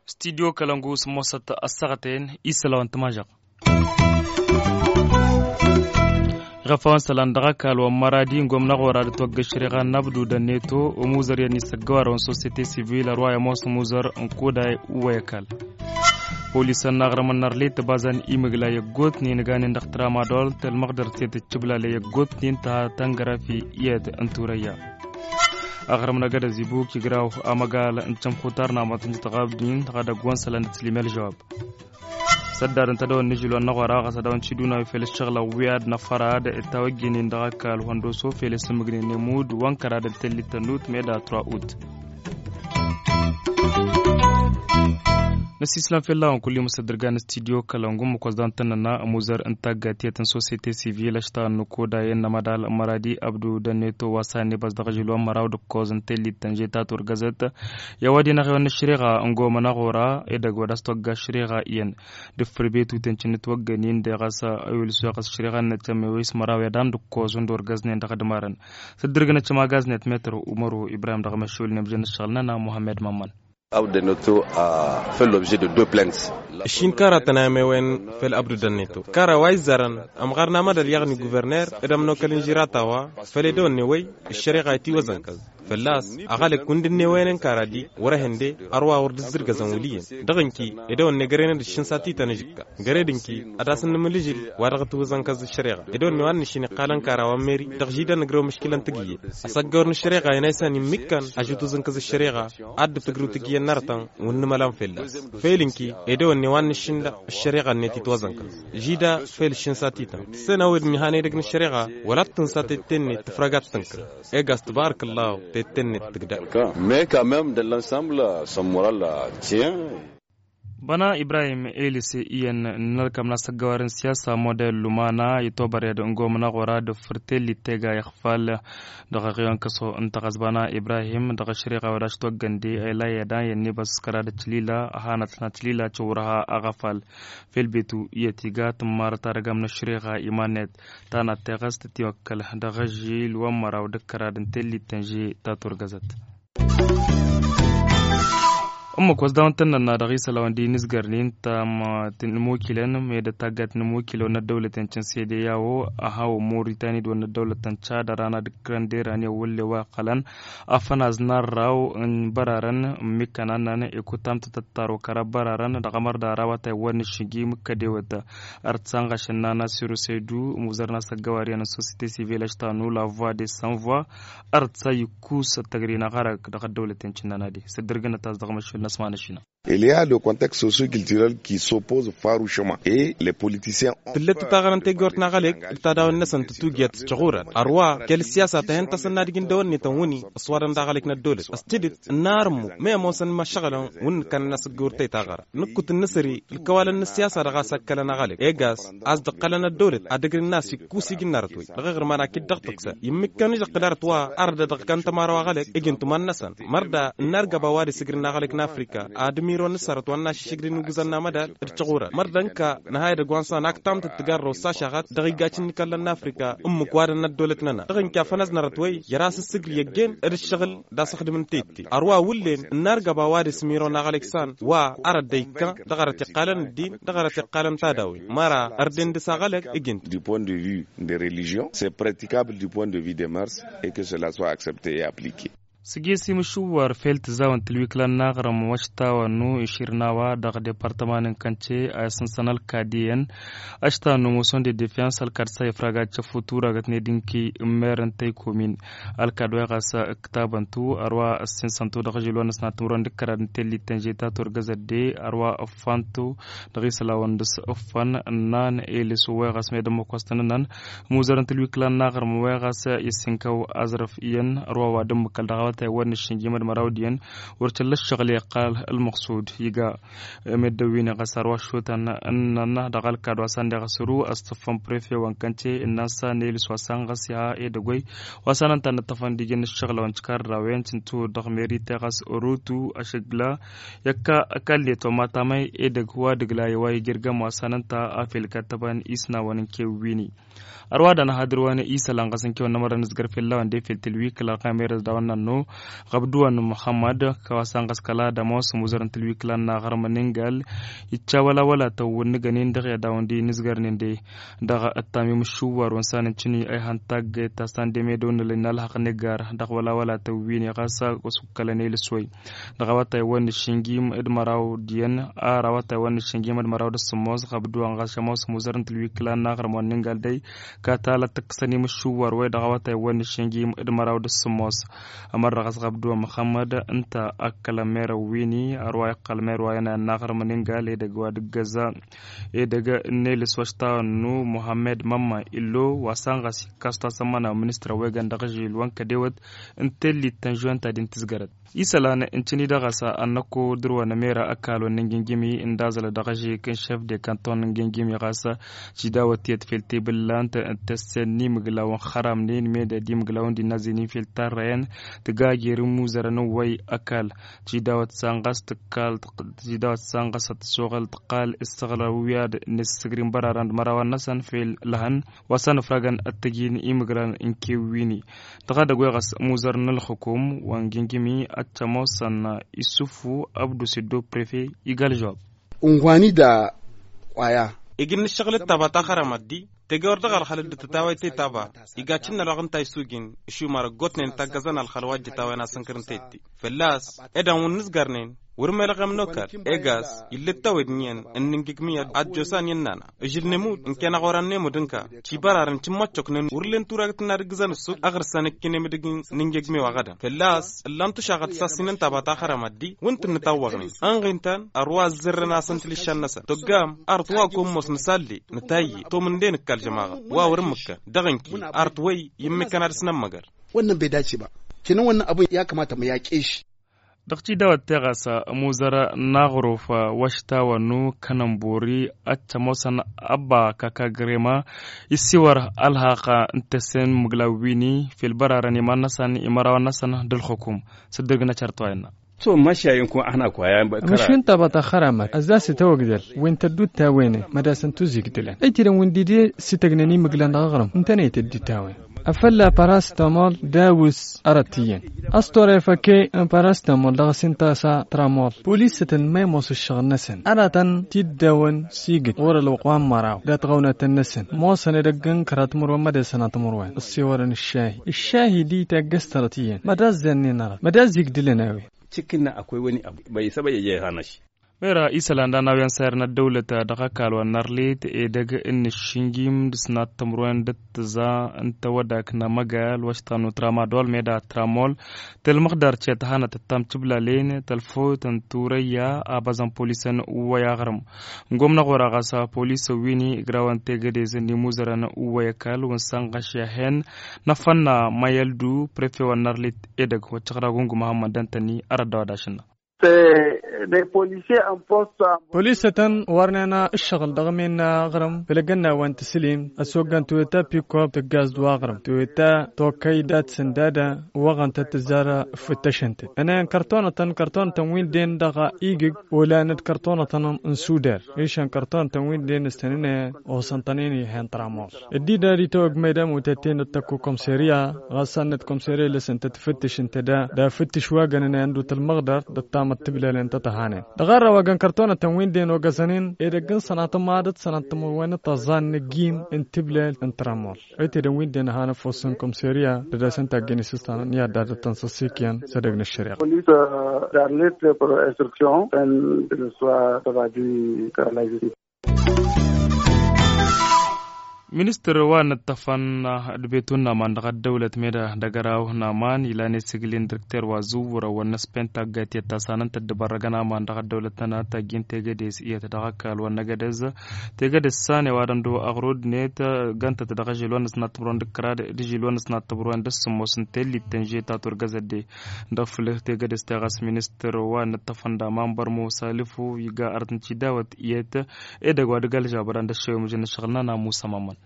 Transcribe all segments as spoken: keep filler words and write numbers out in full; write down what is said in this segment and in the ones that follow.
Stidiyo kălăngu s-mosăt ăssaɣăten isălawăn tămažăɣ. Ɣăfawăn sălan dăɣ-ăkall wa n-măradi n-gomnăɣ ora d-ătwăgg ăššăreɣa n-abdu d-ănneto. Ămuzăr i-ad-nissăggăwarăwăn sosiyete sivil ărwa i-ămoos ămuzăr n-koday wa i-ăkall. Polisăn n-aɣrămăn n-arlit ăbazan imǝgla i-ăggootnen ăganen dăɣ-tramadol tălmăɣdăr tetăt cǝblale i-ăggootnen ta tăngărafi i-ed n-turăyya. Aɣrǝm n-agădăz ibuk igraw amăgal n-cămxutar n-amăt n-jităɣ abdin dăɣ-edăgg wa n-sălan d-tǝslim i-ălžăwab. Săddar ǝnta dăɣ-wăn nǝžǝl wa n-năɣora ɣas ad-dăɣ-wăn ciduna wi fel ǝššăɣla wi ad-năfărad. Tawăjjănen dăɣ-ăkall hunduso fel isǝmmǝgnen nemud wa n-kăra d-ăntăllit tănnut meda tura ut. Năsislăm fel-a-wen kull-i măsăddărgan n-stidiyo kălăngum măkos dantănăna ămuzăr n-taggatiyăt n-sosiyete sivil ăštaɣăn n-ukoda i-ănnămădal măradi abdu dănneto wa s-a ănnebas dăɣ-ažil wa n-măraw d-ǝkkoẓ n-tellit tănže ta turgăzăt. I-a-wa d-inaɣ i-wăn ăššăreɣa n-gomăn aɣora edăgg wa d-as-togga ăššăreɣa iyyăn d-ǝffǝr betuten cǝnnǝtwăggănin deɣ a-s ăwilǝs wa ɣas ăššăreɣa n-nătămme wa ismăraw i-ad-an d-ǝkkoẓ wǝnda orgăznen dăɣ-idmărăn. S-dd-irgǝnăt cămagaznet metăr umăru ibrahim dăɣ-măššul n-emžăn ăššăɣǝl-nănăɣ muhammed mămmăn. Abdu dănneto a făl objet de deux plaintes. Ǝššin karatăn a ămewen făl abdu dănneto kara wa izzărăn ămɣar n-amădăl yaɣni guverner d-ămnokăl n-žirata wa făl edăwănne wăy ăššăreɣa itiwăzănkăẓ. Fălla-s aɣălăk wǝndǝnne wăyăn n-kara dik wăr-ehănde ărwa wăr dd-zǝrgăzăn wăl' iyyăn. Dăɣ-inki edăwănne gărenăd ǝššǝn s-ad-tităn ǝžǝkka găre d-inki ad-asǝnnǝmǝl ǝžǝl wa dăɣ-ătwǝzăn kăẓ ăššăreɣa edăwănne wa n-nǝššin iqqalăn kara wa n-meri dăɣ-židăn ǝgrăw mǝškǝlăn tǝgǝyyăt. Asăggăwăr n-ăššăreɣa inaysan immǝkkăn ažutǝzăn kăẓ ăššăreɣa ad-dd-tǝgrǝw tǝgǝyyăt n-arătăn wǝnnǝmălan fălla-s. Făyăl inki edăwănne wa n-nǝššin dăɣ-ăššăreɣa-net itwăzăn kăẓ žida făyăl ǝššǝn s-ad-tităn tǝssenăwed n-ihan edăgg n-ăššăreɣa wăla t-tǝnsa tette-net tǝfrăga d-tǝnkǝl. Egas tǝbarăk ăllahu tette-net tǝgdăr. Mais quand même de l-ensemble s-ămmur ălla tien. Băna ibrahim elis iyyăn n-ălkam n-asăggăwar n-siyasa model lumana itobăred n-gomna ɣora d-fărtel ittega ixfal dăɣ-aɣyon kăso n-taɣăzbana ibrahim dăɣ-ašriɣa wădaš toggăndi ela i-edan i-ănnibăs kăra d-ačlila hanăt n-ačlila căwrăha aɣăfal. Fel betu i-ătiga tǝmmarăt ad-ăgam n-ašriɣa iman-net tanat teɣăst tiwăkkăl dăɣ-ažil wa n-măraw d-kăra d-intelli tănže ta turgăzăt. Ǝmmǝk wa s-dawăn tăn-nănna dăɣ-isălan wa n-di n-izgărnin tam tinmukilăn meda taggat n-imukilăn wa n-ăddăwlăten cǝnsede i-a-wo aha wa n-moritani d-wa n-ăddăwlăten cad ărana d-kărăn d-erani ăwwălle wa iqqălăn afănaz n-arraw n-bărarăn n-mikkăn annăn ikuttam tăt-ăttar okăra bărarăn dăɣ-amărda arawatay wa n-išigi mǝkkădewăt. Ărtsa n-ɣašăn n-ana sirusaydu muzărna s-ăggăwar iyyăn n-sosite sivil ăštanu la voie de sans voie. Ărtsa ikkus ăttăgri n-aɣarăk dăɣ-ăddăwlăten cǝnnănadi s-dd-irgǝnăt-as dăɣ-măšul n-asmanăšina. Il y a le contexte socio-culturel qui s'oppose farouchement et les politiciens. Tǝllăt-t taɣărăn tegort n-aɣălek d-tadawen-năsăn tǝtugiyăt s-căɣurăt ărwa kăl-siyasa tăhen-tasăn n-ad-ijǝn dăwănni tănwǝni s-wadăn d-aɣălek n-ăddolăt s-tidǝt n-arǝmmu. Măyămoosăn măšăɣlăn wǝnnǝkăn n-asǝggăwăr tăytaɣărăn nǝkkut n-nǝsări ǝlkăwalăn n-ăssiyasa dăɣ-a-s ăkkălăn aɣălek egas a-s dd-ǝqqălăn ăddolăt ad-ǝgrǝn n-a-s ikkus ijǝnnarăt-wi dăɣ-iɣrǝman akit dăɣ-tǝksăn immǝkkăn ižăqqǝl arăt wa arăt-dd-ăɣkăn tămara wa aɣălek ijǝn tǝman-năsăn. Mărda ǝnnargăb a-wa d-isǝgrǝn aɣălek n-afrika ad-ămiron n-sărăt wa n-inaš išǝgrǝn iguzăn n-amădal d-tiɣurăn mărda ǝnka nǝha edăgg wa n-san aktam tǝttǝgarrăw s-ašaɣăt dăɣ-igacǝn n-ikallăn n-afrika. Ǝmmǝk wa dăɣ-năddolăt-nănăɣ dăɣ-inki afănăznărăt wăy. Jer-a-s ǝssǝgri ăggen d-ǝššăɣǝl d-asǝxdǝm n-tette ărwa wǝllen ǝnnargăb a-wa dăɣ-s miro n-aɣălek san wa arăt dd-ikka dăɣ-arăt iqqalăn ăddin dăɣ-arăt iqqalăn tadawin măra ărden dăɣ-s aɣălăk. Ǝgǝnt du point de vue de religion s-e praticable du point de vue de mers et que cela soit accepte et applique. S-ăjjess imǝšǝwwăr fel tǝzzawăn tǝlwikla n-aɣrǝm wa ăštawăn n-iširnawa dăɣ-departăman n-kănce a isǝnsăn ălkad iyyăn ăštawăn n-emotion de defiyans ălkad s-a ifrag ad-căffu turagăt n-edǝnki n-mer n-tăykomin. Ălkad wa iɣas ǝktabăn-tu ărwa ăssinsăn-tu dăɣ-ažil wa n-ăsnat timǝrwen d-kărad n-tellit tănže ta turgăzăt de ărwa ǝffan-tu dăɣ-isălan wa n-dăɣ-s ǝffăn ǝnnan elis wa iɣas med ămmăk wa s-tăn-ǝnnăn. Muzărăn tǝlwikla n-aɣrǝm wa iɣas isǝnkăw azrăf iyyăn ărwa wa d-ǝmmǝkăl dăɣ-a-wa. Tăy wăr nǝššǝnjim d-măraw diyyăn wăr căllăššăɣli ăqqal ălmăqsud iga. Meddăwin iɣăsar wa šutăn ănnăn dăɣ-ălkad wa s-ăndeɣ săru ăṣṣăffăn prefe wa n-kănce ǝnnan s-a n-elǝs wa s-anɣăs iha edăgg-way wa s-anăn ta n-ǝṭṭăfăn d-ijăn ǝššăɣla wa n-tikarrawen cǝntu dăɣ-meri teɣăs. Rutu ašăgla i-ăkall-net wa ma tamăy edăgg wa dăgg-lay wa ijirgăm wa s-anăn ta a fel kăttăbăn isnawăn n-kewwini. Ărwa danăhadǝr wa n-isălan ɣas n-kewăn n-amărăn nǝzgăr fell-a-wen d-efel tǝlwikǝla ɣamer ăzdawăn n-annu ɣăbdǝwăn muhămmăd. Kăwasăn ɣas kăla dămoos muzărăn tǝlwikǝla n-aɣrǝm n-ingal iccawălawăla tăwwǝnnǝgăn-in dăɣ-i ad-dawăn d-inǝzgărnen de dăɣ-ăttamim ǝššǝwwar wăn s-anăn cǝni a ihăn taggăyt ta s-andem edăwăn n-ălhăq n-iggar dăɣ-wălawăla tăwwin iɣas a ăsukkălăn elǝswăy. Dăɣ-awătay wa n-išǝnjim d-măraw diyyăn ar awătay wa n-išǝnjim d-măraw d-ăssǝmmos ɣăbdǝwăn ɣas šămos muzărăn tǝlwikǝla n-aɣrǝm wa n-ingal dăy kătalăt tǝkkǝsăn imǝššǝwwar-way dăɣ-awătay wa n-išǝnjim d-măraw d-ăssǝmmos. Ămărrăɣ ăsɣăbdǝwăn muhămmăd ǝnta ăkkălăn merăn wi-ni ărwa iqqăl mer wa inayăn n-aɣrǝm n-ingal edăgg wa d-ǝggăza edăgg n-elǝs wa s-tawănnu muhămmed mămma illo wa s-anɣăs ikkas tasămmăna ministăr wa iggăn dăɣ-ažil wa n-kădewăt n-tellit tănžuwen ta din tǝzgărăt. Isălan n-tini dăɣ-ăsa ănnăko dăr-wa n-emera ăkall wa n-ingingimi n-dazălăt dăɣ-ažil kăn šef de kanton n-ingingimi ɣas tidawăt tiyyăt fel tebǝllant tăssen n-imǝglaw n-xăramnen meda d-imǝglaw n-dinnazăynen fel tarrăyăn tǝgajer n-imuzărăn n-wăy ăkall. Tidawăt s-anɣas tǝkkal tidawăt s-anɣas ad-tăsoɣăl tǝqqal ǝssăɣlăw i-ad-nǝssǝgri n-bărarăn d-mărawan-năsăn fel lăhăn wa s-anǝfragăn ad-t-ăjin imǝgran n-kewwini. Dăɣ-edăgg wa iɣăs muzăr n-ălxukum wa n-gingimi ad-t-ămoosăn isufu abdu siddo prefe igal žăwab. Unhwani da kwaya. Ijǝn n-ǝššăɣǝl d-taba taxăramăt di teje wăr dăɣ-ălxăl dd-tǝtawăy tetaba. Iga cǝnnălăɣ ǝnta isujin išumar ăggootnen taggăzăn ălxăl wa dd-itawăyăn asǝnkăr n-tetti fălla-s. Ed anwǝn nǝzgărnen wăr-melăɣem n-okal egas ill'-dd tawed n-iyyăn n-injǝgmǝyăt ad-josan i-ănnana. Ǝžǝl nemud ǝnken aɣoran nemud ǝnka cibărarăn cǝmmăccoknen wăr len turagt n-ad-ǝggǝzăn ǝssut aɣrǝsăn ǝkkin emǝdǝg n-injǝgmew aɣădăn fălla-s. Ǝllan tušaɣăt s-asinăn taba taxăramăt di wǝnta ǝnnǝtawwăɣnen ănɣin-tăn ărwa ăzzărrăn-asăn tilǝššan-năsăn toggam. Arăt wa ăkommos nǝsalli nǝtayye tom ǝnde nǝkka ălžămaɣăt wa wăr-ǝmmǝkkăn dăɣ-ǝnki arăt wăy i-ǝmmǝkkăn ad-dăɣ-s nămmăgăr. Wănnăn băy dace ba. Cănăn wănnăn abun i-akămatăm i-akeši. Dăɣ-tidawăt teɣăsa muzărăn n-aɣruf wa s-tawănnu kănănbori ad-t-ămoosăn ăbba kaka grema isiwăr ălhaq n-tăssen mǝglaw wi-ni fil bărarăn iman-năsăn imărawăn-năsăn d-ălxukum. S-dd-ǝrgǝnăt cărăt wa innă. Ămăšin taba taxăramăt ăzzas itawăgdăl wi n-tădduttawene mădasăn tuzigdǝlăn ăytidăn wi n-dide s-ităgnen imǝglan dăɣ-aɣrǝm ǝntănăy tădduttawene. Afălla parastamol dawǝs arăt iyyăn ăstor efăke n-parastamol dăɣ-s inta s-a tramol polisătăn ma imoos ǝššăɣǝl-năsăn aratăn tiddawăn sigǝt ɣur-ălwăqq wa n-măraw dat-ɣăwnatăn-năsăn ămoosăn edăgg n-kăraḍ timǝrwen mădesăn ad-timǝrwen ǝssiwărăn ǝššahi ǝššahi di taggăst arăt iyyăn mădazzănnen arăt mădazz igdǝlăn a-wen. Cǝkkǝnna akwăy wăni abu băy isăbăy ejăy hanăš. Mera isălan d-anawyan sayărăn ăddăwlăt dăɣ-ăkall wa n-arlit edăgg n-ǝššǝnjim d-sănat timǝrwen d-ǝttǝẓa n-tawădak n-amăgal wa s-tănnu tramadol meda tramol. Tălmăɣdar cet hanăt ăttam tǝblalen tălfot n-turăyya abăẓăn polisăn uwăy aɣrǝm. N-gomnăɣ wăr-aɣăs polisăn wi-ni ǝgrawăn tegădez n-imuzărăn uwăy ăkall wǝnsan ɣăšyahen. N-afănna mayăldu prefe wa n-arlit edăgg wa t-tăɣragun gumăhăn măndăn-tăn-i arăt dăɣ-wa d-ašǝnna. Polisătăn wărnen ǝššăɣǝl dăɣ-emen n-aɣrǝm făll-egănna wa n-tǝslim ăssoggăn toyota pikop tǝggaz d-wa aɣrǝm toyota tokăy dat-sǝndada. Wăɣăn-tăt tǝzzar ǝffǝttăšăn-tăt ănăyăn kărtonătăn kărtonătăn wi n-den dăɣ-igǝg. Olan d-kărtonătăn n-sudar išăn kărtonătăn wi n-den s-tăn-ănăyăn osăn-tăn-in ihăn tramol. Dd-idar itawăg măydăm utătten d-tăkku komseriya ɣas sannăt komseriya lăsăn tăt-fǝttǝš ǝnta da da fǝttǝš wa gănăn i-ăndut ălmăɣdăr d-ăttamăt tǝblalen tăt-ăhanen. Dăɣ-arrăw a găn kărtonătăn wi n-den ogăzăn-in edăgg n-sănatăn ma dăt-sănatăn timǝrwen d-tăẓẓa n-ăgg-in n-tǝblal n-tramol. Ăytedăn wi n-den ăhanăfosăn komseriya d-ad-asăn taggăni s-ǝssanăn i-ad-dd-ad-tăn săssikyăn s-edăgg n-ăššăriɣa. Police darlit pour instruction n-swa tăbadi kăla justice. Ministăr wa n-ăṭṭăfăn d-betu n-aman dăɣ-ăddăwlăt meda dăgg-ăraw n-aman ilan esǝglin direkter wa zǝwwărăwăn n-ăspenta ăgg-ătiyyăt ta s-anăn tăddăbărrăgăn aman dăɣ-ăddăwlăt n-ăna tajjin tegădes iyyăt dăɣ-ăkall wa n-năgădez. Tegădes s-an i-wa dăndu aɣrud-net ǝggăn-tăt dăɣ-ažil wa n-ăsnat tăbruwen d-kăraḍ d-ažil wa n-ăsnat tăbruwen d-ăssǝmmos n-tellit tănžet ta turgăzădde. Dăɣ-fǝlǝh tegădes teɣas ministăr wa n-ăṭṭăfăn d-aman bărmo salǝfu iga arăt n-tidawăt iyyăt. Edăgg wa dăgg-ălžabăran d-ăššăwemǝžăn n-ǝššăɣǝl n-ana musa mamăn.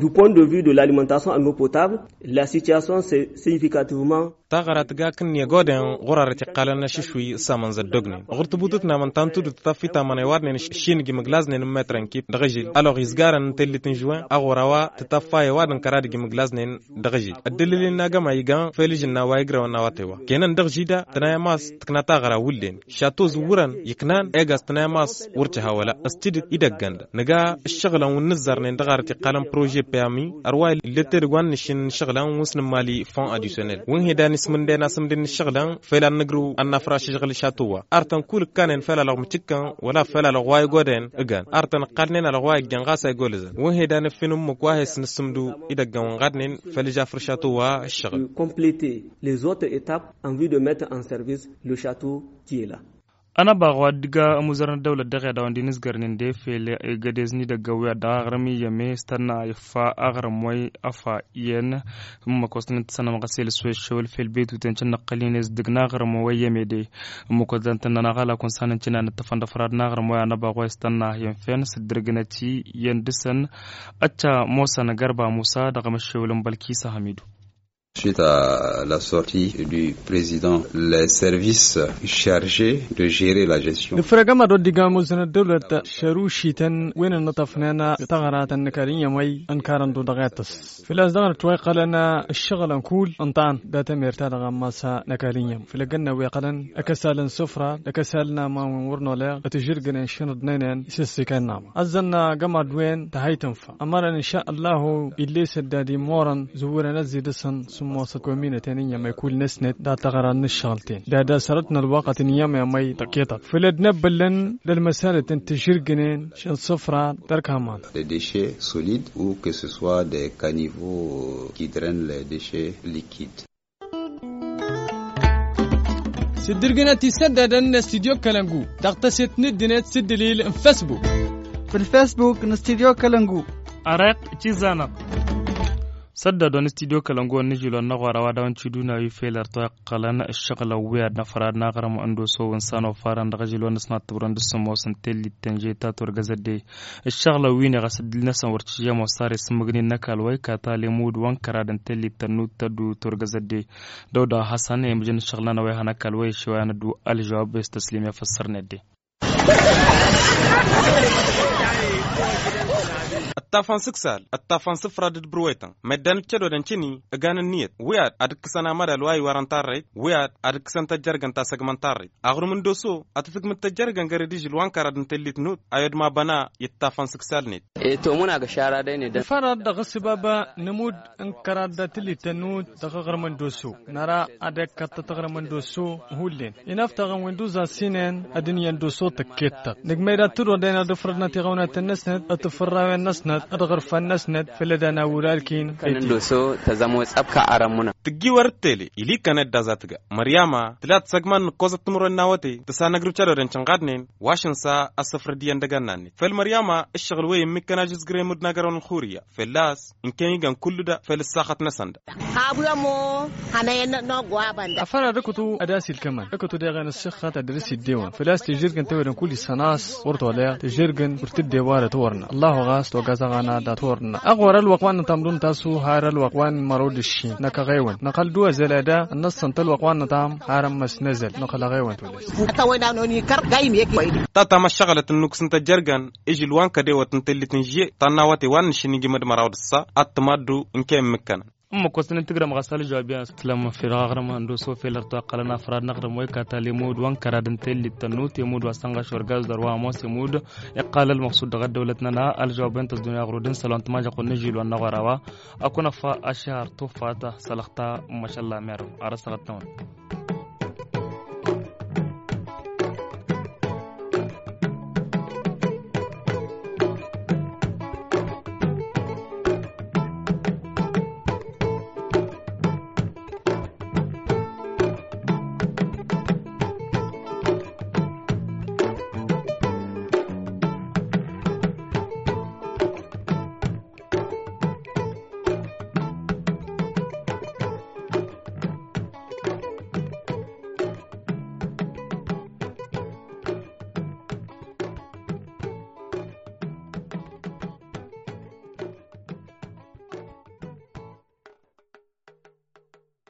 Du point de vue de l'alimentation en eau potable, la situation c'est significativement. Taɣăra tǝga kǝnnǝya goden ɣur-arăt iqqalăn ašǝšwi s-amăn zăddognen ɣur-tǝbutǝt n-amăn ta n-tudǝt tătaffit amăn ăwadnen. Šin ǝjǝm ǝglaznen n-metr n-kip dăɣ-ažil ălɣ izgarăn n-tellit n-žuwen aɣur a-wa tǝtaffa i-ăwadǝn kăra d-ǝjǝm ǝglaznen. Dăɣ-ažil ăddălil-in n-agămay igan fel ižǝnna wa igrăwăn n-awătay wa kăynan dăɣ-žida tănay ămas tǝkna taɣăra wullen. Šato zǝwwǝrăn iknan egas tănay ămas wăr tǝha wăla. S-tidǝt idăgg-anda nǝga ǝššăɣǝlăn wi n-nǝzzărnen dăɣ-arăt iqqalăn prožet păyami ărwa illet edăgg wa n-nǝššin n-ašăɣǝlăn wi s-nǝmmali fond adisionel wi n-hedan ismǝnden asǝmdǝn n-ašăɣǝlăn. Fel ad-nǝgrǝw ad-nafraš ašăɣǝl šato wa artăn kull ǝkkanen fel alăɣ mǝcǝkkăn wăla fel alăɣ wa igodăyăn. Ǝgan artăn ǝqqalnen alăɣ wa ijjăn ɣas a igolăzăn wi n-hedan ǝffin ǝmmǝk wa he-s nǝssǝmdu idăgg-ăn wa n-ɣadnen. Fel ižafăr šato wa ǝššăɣǝl. Completer les autres étapes en vue de mettre en service le château qui est là. Ănăbaɣ wa d-iga ămuzăr n-ăddăwlăt dăɣ-i ad-dăɣ-wăn d-inǝzgărnen d-efel egădez n-idăgg-ăwwi ad-dăɣ-aɣrǝm iyyăm s-tănna iffa aɣrǝm wa ifa iyyăn. Ǝmmǝk wa s-tăn-dd-tăsănăm ɣas elǝs wa iššăwăl fel betuten cǝnnăqqăl-in-e-s dăgg-naɣrǝm wa iyyăm ede. Ǝmmǝk wa s-dăɣ-tăn-nănăɣ alakun s-anăn cǝnna n-ǝṭṭăfăn d-afrad n-aɣrǝm wa i-anăbaɣ wa s-tănna iyyăn fen s-dd-irgǝnăt iyyăn dăɣ-săn. Ăcca mosăn gărba musa dăɣ-amăššewăl n-bălkisa hamidu. Suite à la sortie du président, les services chargés de gérer la gestion. Dăɣ-făr agămad wa dd-iga ămuzăn ăddăwlăt šărušităn wi n-ănnăṭṭăfnen taɣăratăn n-ăkall-iyyăm wi ănkarăn-dd dăɣ-ittăs. Făl-a-s dăɣ-năt wa iqqălăn ǝššăɣǝlăn kull ǝnṭan dat-emert ta dăɣ-ammas n-ăkall-iyyăm făll-agǝnna wi iqqălăn ăkăsal n-sufra d-ăkăsal n-aman wi n-wăr n-oleɣ ătǝžžǝrgǝnen šinăḍnăynen isǝssikăn n-aman ăzzăn agămad-wen tăhăy tǝnfa. Ămărăn inša ăllahu ill'-e săddad imorăn zǝwwǝrăn ăzzidăsăn s-ămoosăt kominăten iyyăm i-kull-năsnet dat-taɣra n-ǝššăɣǝl-ten dad-asărăt n-ălwăqq ad-tǝnǝyyăm i-amăy tăkkeḍăt făll-ăddinăt băllăn d-ălmăsalăt n-tǝžžǝrgǝnen šăn sufra d-ărk aman. Des déchets solides ou que ce soit des caniveaux qui drainent les déchets liquides. S-dd-irgǝnăt isăddadăn n-studyo kălăngu dăɣ-tăset n-ǝddǝnet s-ǝddǝlil n-fesbuk. Făll-fesbuk n-studyo kălăngu. Ărek cizanăɣ. Săddadăn n-studyo kălăngu ănnižil wa n-aɣora wa dawăn ciduna wi fel ărtoy ăqqălăn ǝššăɣǝlăn wi ad-năfrad n-aɣrǝm ăndoso wi n-săn ofarăn dăɣ-ažil wa n-ăsnat tǝbrăn d-sămmos n-tellit tănžet ta turgăzăt de. Ǝššăɣǝlăn wi n-eɣăs ǝddǝl-năsăn wăr t-žăm ossar isǝmmǝgnin n-ăkall wa ikata lemud wa n-kărad n-tellit tănnut tăddu turgăzăt de. Dăw-da hasăn i-mǝjăn ǝššăɣǝl-nănăɣ wa ihăn ăkall wa išew a n-ăddu ălžăwab s-tăslim i-afăssărnet de. Ăṭṭafăn s-ǝksal ăṭṭafăn s-ǝfrad d-bărwetăn meddǝn d-cădodăn cǝni. Ǝgan ǝnniyăt wi ad-ǝkkǝsăn amădal wa iwărăn tarrăyt wi ad-ǝkkǝsăn tăjjărgăn ta săgmăn tarrăyt. Aɣrǝm n-doso ad-tǝtǝgmǝd tăjjărgăn gărăd ižǝl wa n-kărad n-tellit nut a i-odma băna i-ǝṭṭafăn s-ǝksal-net. Ittomun agăšara dăɣ-inǝdăn. Ifărăt dăɣ-s baba nǝmud n-kărad da tǝllit tănut dăɣ-aɣrǝm n-doso. Năra ad-ikkăṭṭăt aɣrǝm n-doso hullen inăftaɣăn wi n-duzasinen ad-ǝnyan doso tăkkettăt nǝgmăy da tǝdodăyna d-ǝfrădnăt iɣăwnatăn-năsnăt d-tǝfărrawen-năsnăt d-iɣărfan-năsnăt. Făll-ădana wăr-alkin. Kănăn doso tăzăm wăy ăbka arămmunăn. Tǝggi wăr t-tele ili kănăt d-azatǝga măryama tǝla tǝsăgman n-ǝkkoẓăt timǝrwen n-awăte tǝsanăgrǝw cădodăn cǝnɣadnen. Wa šăn s-a ăssăfrăd iyyăn dăgg-annannen făll-măryama ǝššăɣǝl wăy ǝmmǝkkăn ažǝzgăr i-mud n-agărăwăn n-xuriya fălla-s ǝnken igăn kullu da făll-ǝssaxăt-năsăn da. Afăra d-ǝkǝtu ad-as-ilkămăn ǝkǝtu deɣen ǝssixăt ad-dăr-s iddewăn făl-a-s tǝžžǝrgǝn tewădăn kull isănas wăr toleɣ tǝžžǝrgǝn wăr tǝddew arăt wăr-năɣ ăllahu ɣas togazăɣ ana dat-wăr-năɣ. Ăɣwăr ălwăqq wa n-nǝtamḍun tasu har ălwăqq wa n-mărod ǝššin năkăɣewăn năxăl-dd u-azăl ad-a ănnăssăn-t ălwăqq wa n-nǝtam har ămmăs n-azăl năxăl-aɣewăn tolăs. Tatam ăššăɣlăt ǝnnuk s-ǝnta jărgăn ižǝl wa n-kădewăt n-tellit n-žye ta n-awăte wa n-nǝššǝn ijǝmăd măraw d-ǝssa ad-tǝmaddu n-kăy-ǝmmǝkkănăn. Ǝmmǝk wa s-tăn-dd-tǝgrăm ɣas ălžawab i-ad-nǝslăm făll-aɣrǝm ăndoso fel ărtoy ăqqălăn afrad n-aɣrǝm wa ikata lemud wa n-kărad n-tellit tănnut i-mud wa s-tănɣaš orgaz d-ărwa ămoos i-mud. Iqqal ălmăqsud dăɣ-ăddăwlăt-nănăɣ ălžawab-en tăzdun i-aɣrud n-isălan tǝmažăɣ wa n-ižil wa n-aɣora wa. Ad-kăwăn-affa ašăhar tufat sălăxta. Mašalla merăw ar ăssăɣăt-năwăn.